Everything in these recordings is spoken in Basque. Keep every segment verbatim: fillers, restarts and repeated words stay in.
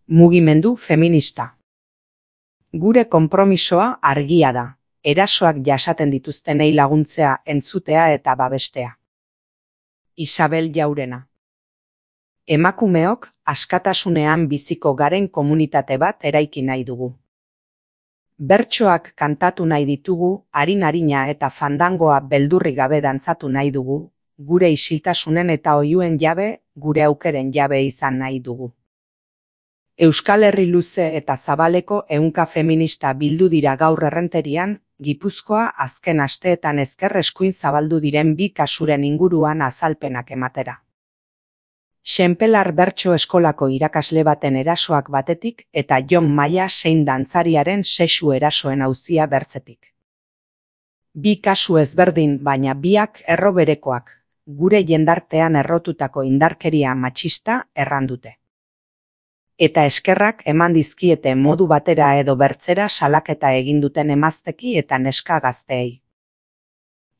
Mugimendu feminista. Gure konpromisoa argia da, erasoak jasaten dituztenei laguntzea, entzutea eta babestea. Isabel Jaurena. Emakumeok askatasunean biziko garen komunitate bat eraiki nahi dugu. Bertsoak kantatu nahi ditugu, arin-arina eta fandangoa beldurrik gabe dantzatu nahi dugu, gure isiltasunen eta oihuen jabe, gure aukeren jabe izan nahi dugu. Euskal Herri luze eta zabaleko ehunka feminista bildu dira gaur Errenterian, Gipuzkoa azken asteetan ezker eskuin zabaldu diren bi kasuren inguruan azalpenak ematera. Xenpelar bertso eskolako irakasle baten erasoak batetik eta Jon Maia zein dantzariaren sexu erasoen auzia bertzetik. Bi kasu ezberdin baina biak erro berekoak, gure jendartean errotutako indarkeria matxista errandute. Eta eskerrak eman dizkiete modu batera edo bertzera salaketa egin duten emazteki eta neska gazteei.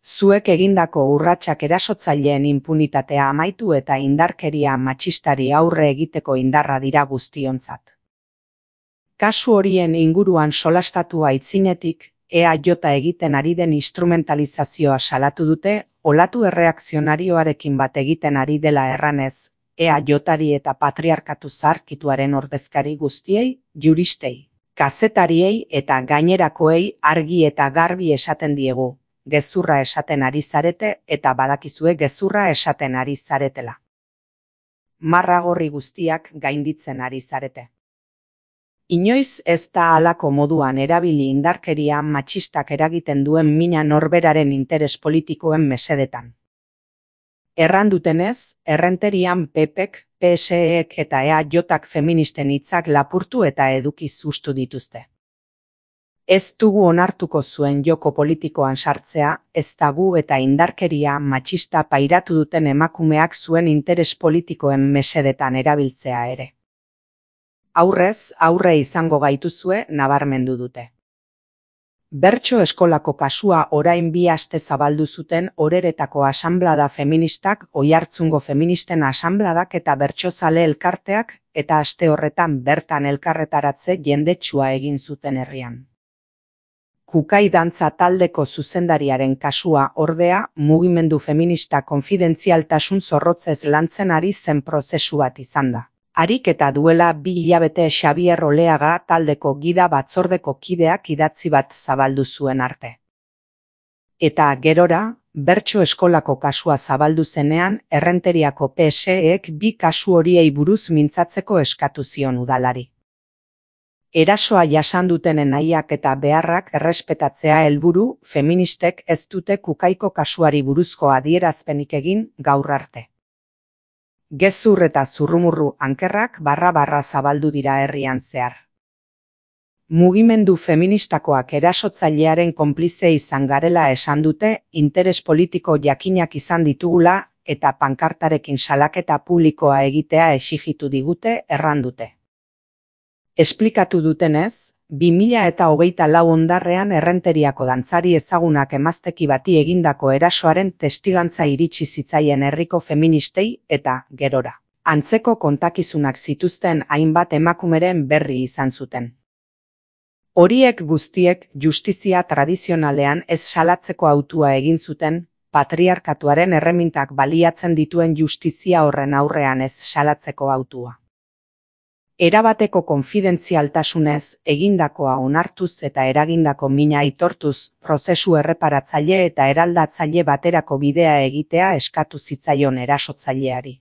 Zuek egindako urratsak erasotzaileen inpunitatea amaitu eta indarkeria matxistari aurre egiteko indarra dira guztiontzat. Kasu horien inguruan solastatu aitzinetik, E A J egiten ari den instrumentalizazioa salatu dute, olatu erreakzionarioarekin bat egiten ari dela erranez, E A Jari eta patriarkatu zaharkituaren ordezkari guztiei, juristei, kazetariei eta gainerakoei argi eta garbi esaten diegu, gezurra esaten ari zarete eta badakizue gezurra esaten ari zaretela. Marra gorri guztiak gainditzen ari zarete. Inoiz ez da halako moduan erabili indarkeria matxistak eragiten duen mina norberaren interes politikoen mesedetan. Errandutenez, Errenterian P Pek, P S Ek eta E A Jak feministen hitzak lapurtu eta eduki sustu dituzte. Ez dugu onartuko zuen joko politikoan sartzea, ez da gu eta indarkeria matxista pairatu duten emakumeak zuen interes politikoen mesedetan erabiltzea ere. Aurrez, aurre izango gaituzue nabarmendu dute. Bertso eskolako kasua orain bi aste zabaldu zuten Oreretako asanblada feministak, Oiartzungo feministen asanbladak eta bertsozale elkarteak, eta aste horretan bertan elkarretaratze jendetsua egin zuten herrian. Kukai dantza taldeko zuzendariaren kasua ordea, mugimendu feminista konfidentzialtasun zorrotzez lantzen ari zen prozesu bat izan da. Harik eta duela bi hilabete Xabier Oleaga taldeko gida batzordeko kideak idatzi bat zabaldu zuen arte. Eta gerora, bertso eskolako kasua zabaldu zenean, Errenteriako P S Ek bi kasu horiei buruz mintzatzeko eskatu zion udalari. Erasoa jasan dutenen nahiak eta beharrak errespetatzea helburu, feministek ez dute Kukaiko kasuari buruzko adierazpenik egin gaur arte. Gezur eta zurrumurru ankerrak barra-barra zabaldu dira herrian zehar. Mugimendu feministakoak erasotzailearen konplize izan garela esan dute, interes politiko jakinak izan ditugula eta pankartarekin salaketa publikoa egitea exigitu digute errandute. Esplikatu dutenez, bi mila eta hogeita lau ondarrean Errenteriako dantzari ezagunak emazteki bati egindako erasoaren testigantza iritsi zitzaien herriko feministei eta gerora. Antzeko kontakizunak zituzten hainbat emakumeren berri izan zuten. Horiek guztiek justizia tradizionalean ez salatzeko hautua egin zuten, patriarkatuaren erremintak baliatzen dituen justizia horren aurrean ez salatzeko hautua. Erabateko konfidentzialtasunez egindakoa onartuz eta eragindako mina aitortuz, prozesu erreparatzaile eta eraldatzaile baterako bidea egitea eskatu zitzaion erasotzaileari.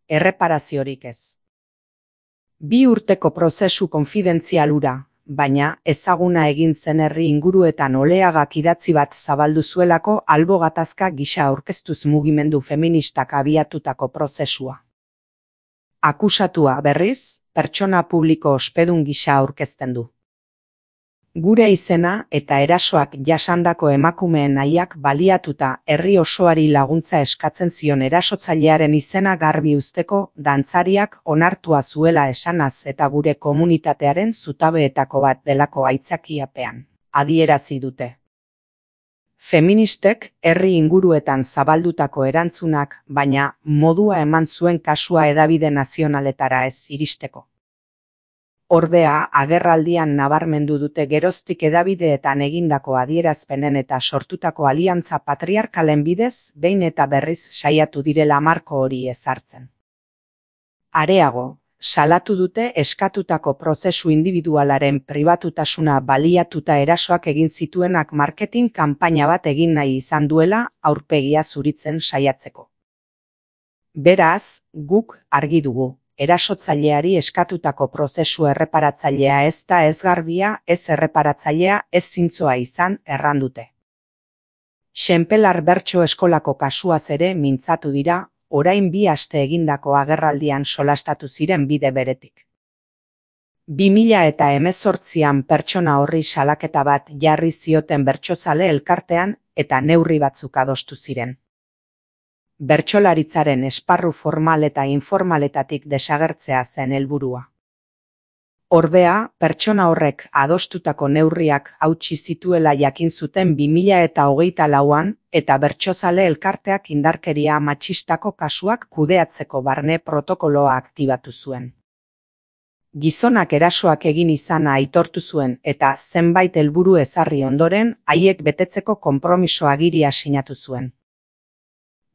Erreparaziorik ez. Bi urteko prozesu konfidentzial hura, baina ezaguna egin zen herri inguruetan Oleagak idatzi bat zabaldu zuelako albo gatazka gisa aurkeztuz mugimendu feministak abiatutako prozesua. Akusatua berriz, pertsona publiko ospedun gisa aurkezten du. Gure izena eta erasoak jasandako emakumeen nahiak baliatuta herri osoari laguntza eskatzen zion erasotzailearen izena garbi uzteko dantzariak onartua zuela esanaz eta gure komunitatearen zutabeetako bat delako aitzakiapean adierazi dute. Feministek herri inguruetan zabaldutako erantzunak, baina modua eman zuen kasua hedabide nazionaletara ez iristeko. Ordea, agerraldian nabarmendu dute geroztik hedabideetan egindako adierazpenen eta sortutako aliantza patriarkalen bidez behin eta berriz saiatu direla marko hori ezartzen. Areago, salatu dute eskatutako prozesu indibidualaren pribatutasuna baliatuta erasoak egin zituenak marketing kanpaina bat egin nahi izan duela aurpegia zuritzen saiatzeko. Beraz, guk argi dugu. Erasotzaileari eskatutako prozesu erreparatzailea ez da ez garbia, ez erreparatzailea, ez zintzoa izan errandute. Xenpelar Bertso Eskolako kasuaz ere mintzatu dira, orain bi aste egindako agerraldian solastatu ziren bide beretik. bi mila eta hemezortzian pertsona horri salaketa bat jarri zioten bertsozale elkartean eta neurri batzuk adostu ziren. Bertsolaritzaren esparru formal eta informaletatik desagertzea zen helburua. Ordea, pertsona horrek adostutako neurriak hautsi zituela jakin zuten bi mila eta hogeita lauan eta bertsozale elkarteak indarkeria matxistako kasuak kudeatzeko barne protokoloa aktibatu zuen. Gizonak erasoak egin izana aitortu zuen eta zenbait helburu ezarri ondoren haiek betetzeko konpromiso agiria sinatu zuen.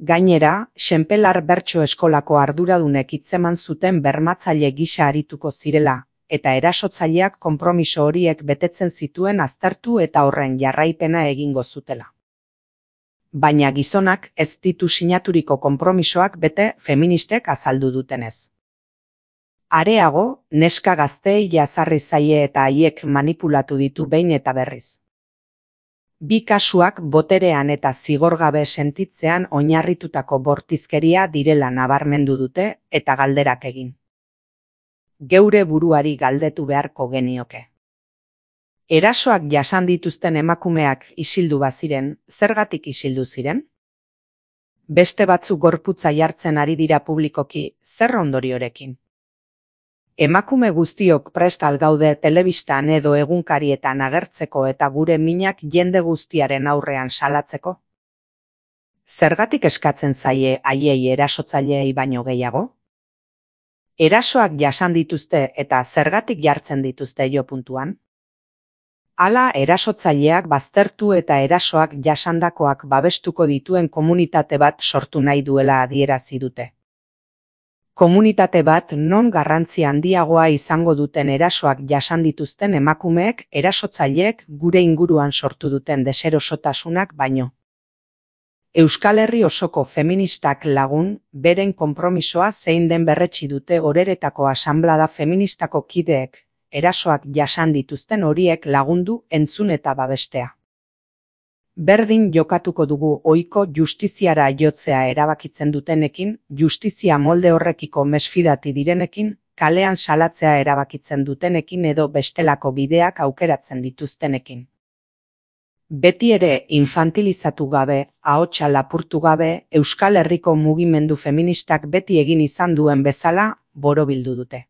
Gainera, Xenpelar Bertso Eskolako arduradunek hitzeman zuten bermatzaile gisa arituko zirela, eta erasotzaileak konpromiso horiek betetzen zituen aztertu eta horren jarraipena egingo zutela. Baina gizonak ez ditu sinaturiko konpromisoak bete feministek azaldu dutenez. Areago, neska gazteei jazarri zaie eta haiek manipulatu ditu behin eta berriz. Bi kasuak boterean eta zigorgabe sentitzean oinarritutako bortizkeria direla nabarmendu dute eta galderak egin. Geure buruari galdetu beharko genioke. Erasoak jasan dituzten emakumeak isildu baziren, zergatik isildu ziren? Beste batzuk gorputza jartzen ari dira publikoki, zer ondoriorekin? Emakume guztiok prest al gaude telebistan edo egunkarietan agertzeko eta gure minak jende guztiaren aurrean salatzeko? Zergatik eskatzen zaie haiei erasotzaileei baino gehiago? Erasoak jasan dituzte eta zergatik jartzen dituzte jo puntuan? Hala erasotzaileak baztertu eta erasoak jasandakoak babestuko dituen komunitate bat sortu nahi duela adierazi dute. Komunitate bat non garrantzi handiagoa izango duten erasoak jasan dituzten emakumeek erasotzaileek gure inguruan sortu duten deserosotasunak baino. Euskal Herri osoko feministak lagun, beren konpromisoa zein den berretsi dute Oreretako asanblada feministako kideek, erasoak jasan dituzten horiek lagundu, entzun eta babestea. Berdin jokatuko dugu ohiko justiziara jotzea erabakitzen dutenekin, justizia molde horrekiko mesfidati direnekin, kalean salatzea erabakitzen dutenekin edo bestelako bideak aukeratzen dituztenekin. Beti ere infantilizatu gabe, ahotsa lapurtu gabe, Euskal Herriko mugimendu feministak beti egin izan duen bezala borobildu dute.